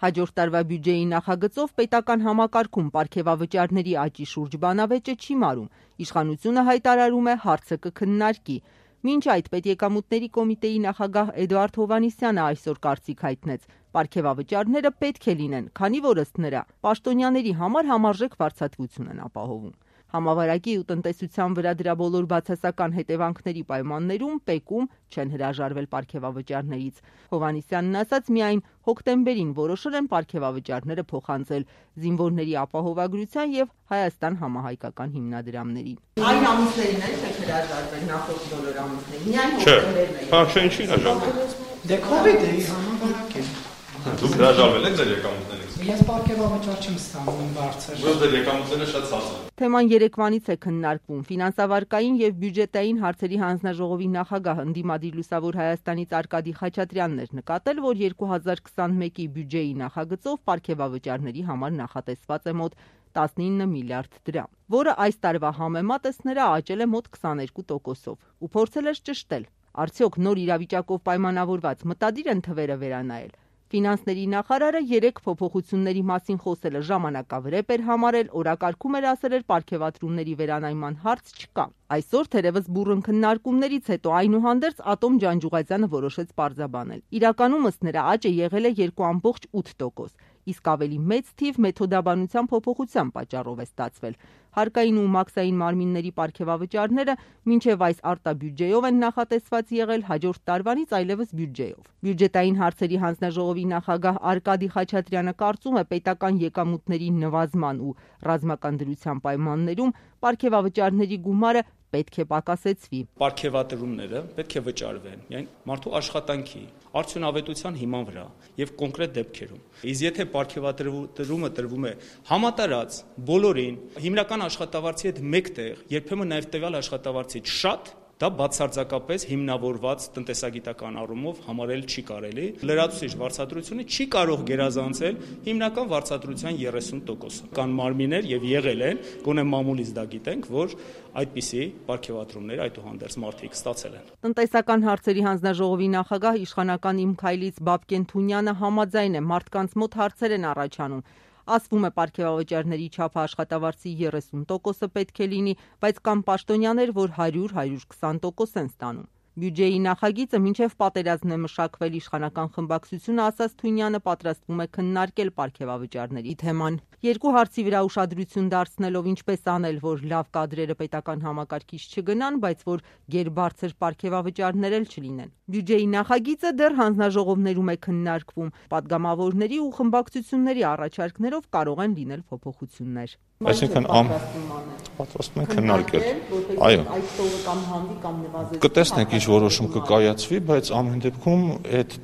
Հաջորդ տարվա բյուջեի նախագծով պետական համակարգում պարգևավճարների աճի շուրջ բանավեճը չի մարում, իշխանությունը հայտարարում է հարցը կքննարկի։ Մինչ այդ Պետեկամուտների կոմիտեի նախագահ Էդուարդ Հովհաննիսյանը այսօր կարծիք հայտնեց. պարգևավճարները պետք է լինեն, քանի որ ըստ նրա պաշտոնյաների համար համարժեք վարձատրություն են ապահովում։ Համավարակի ու տնտեսության վրա դրա բոլոր բացասական հետևանքների պայմաններում ՊԵԿ-ում չեն հրաժարվել պարգևավճարներից։ Հովհաննիսյանն ասաց, միայն հոկտեմբերին որոշել են պարգևավճարները փոխանցել զինվորների ապահովագրության եւ Հայաստան համահայկական հիմնադրամների։ Այն ամիսներին եք հրաժարվել նախորդ բոլոր ամիսներին, միայն հոկտեմբերն է։ Հա, ինչի հրաժարվել։ Դե COVID-ի համավարակ է։ Դուք հրաժարվել եք ձեր եկամուտներից։ Ես պարգևավճար չեմ ստանում բարձր։ Որտեղ ձեր եկամուտները շատ ցածր են։ Թեման երեկվանից է քննարկվում։ Ֆինանսավարկային եւ բյուջետային հարցերի հանձնաժողովի նախագահ ընդդիմադիր Լուսավոր Հայաստանից Արկադի Խաչատրյանն էր նկատել, որ 2021-ի բյուջեի նախագծով պարգևավճարների համար նախատեսված է մոտ 19 միլիարդ դրամ, որը այս տարվա համեմատ ըստ նրա աճել է մոտ 22%-ով։ Ու փորձել էր ճշտել, արդյոք նոր իրավիճակով պայմանավորված մտադիր են թվերը վերանայել։ Ֆինանսների նախարարը 3 փոփոխությունների մասին խոսելը ժամանակավրեպ էր համարել, օրակարգում էր ասել պարգևատրումների վերանայման հարց չկա։ Այսօր թերևս բուռն քննարկումներից հետո այնուհանդերձ Ատոմ Ջանջուղազյանը որոշեց պարզաբանել։ Իրականում ըստ նրա աճը եղել է 2.8%, իսկ ավելի մեծ թիվ մեթոդաբանության փոփոխության պատճառով է ստացվել։ Հարկային ու մաքսային մարմինների պարգևավճարները մինչև այս արտաբյուջեով են նախատեսված եղել, հաջորդ տարվանից այլևս բյուջեով։ Բյուջետային հարցերի հանձնաժողովի նախագահ Արկադի Խաչատրյանը կարծում է, պետական եկամուտների նվազման ու ռազմական դրության պայմաններում պարգևավճարների գումարը պետք է պակասեցվի։ Պարգևատրումները պետք է վճարվեն միայն մարդու աշխատանքի, արդյունավետության հիման վրա եւ կոնկրետ դեպքերում։ Իսկ եթե պարգևատրումը տրվում է համատարած բոլորին, հիմնական աշխատավարձի հետ մեկտեղ, երբեմն նաեւ տվյալ աշխատավարձից շատ, դա բացարձակապես հիմնավորված տնտեսագիտական առումով համարել չի կարելի։ Լրացուցիչ վարձատրությունը չի կարող գերազանցել հիմնական վարձատրության 30%-ը։ Կան մարմիններ եւ եղել են, գոնե մամուլից դա գիտենք, որ այդպիսի պարգևատրումներ այդուհանդերձ մարդիկ ստացել են։ Տնտեսական հարցերի հանձնաժողովի նախագահ իշխանական Իմ Քայլից Բաբկեն Թունյանը համաձայն է, մարդկանց մոտ հարցեր են առաջանում։ Ասվում է պարգևավճարների չափը աշխատավարձի 30%-ը պետք է լինի, բայց կան պաշտոնյաներ, որ 100-120% են ստանում։ Բյուջեի նախագիծը մինչև պատերազմն է մշակվել, իշխանական խմբակցությունը, ասաց Թունյանը, պատրաստվում է քննարկել պարգևավճարների թեման։ Երկու հարցի վրա ուշադրություն դարձնելով ինչպես անել, որ լավ կադրերը պետական համակարգից չգնան, բայց որ գերբարձր պարգևավճարներ էլ չլինեն։ Բյուջեի նախագիծը դեռ հանձնաժողովներում է քննարկվում։ Պատգամավորների ու խմբակցությունների առաջարկներով կարող են լինել փոփոխություններ։ Այսինքն պատրաստվում են քննարկել։ Այո։ Կտեսնենք ինչ որոշում կկայացվի, բայց ամեն դեպքում այդ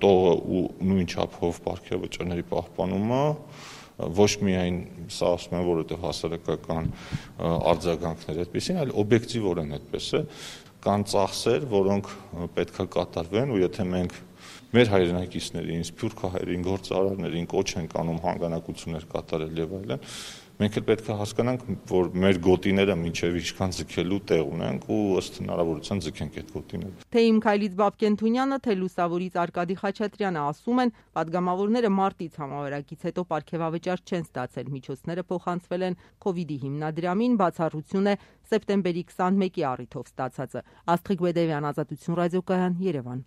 տողը ու նույն չափով պարգևավճարների պահպանումը ոչ միայն սա ասում են, որովհետև հասարակական արձագանքներ այդպեսին, այլ օբյեկտիվորեն այդպես է, կան ծախսեր, որոնք պետք է կատարվեն, ու եթե մենք մեր հայրենակիցներին, սփյուռքահայերին, գործարարներին կոչ ենք անում հանգանակություններ կատարել եւ այլն, մենք էլ պետք է հասկանանք, որ մեր գոտիները մինչև ինչքան ձգելու տեղ ունենք ու ըստ հնարավորության ձգենք այդ գոտիները։ Թե Իմ Քայլից Բաբկեն Թունյանը, թե Լուսավորից Արկադի Խաչատրյանը ասում են, պատգամավորները մարտից համավարակից հետո պարգևավճար չեն ստացել, միջոցները փոխանցվել են COVID-ի հիմնադրամին, բացառություն է սեպտեմբերի 21-ի առիթով ստացածը։ Աստղիկ Բեդևյան, Ազատություն ռադիոկայան, Երևան։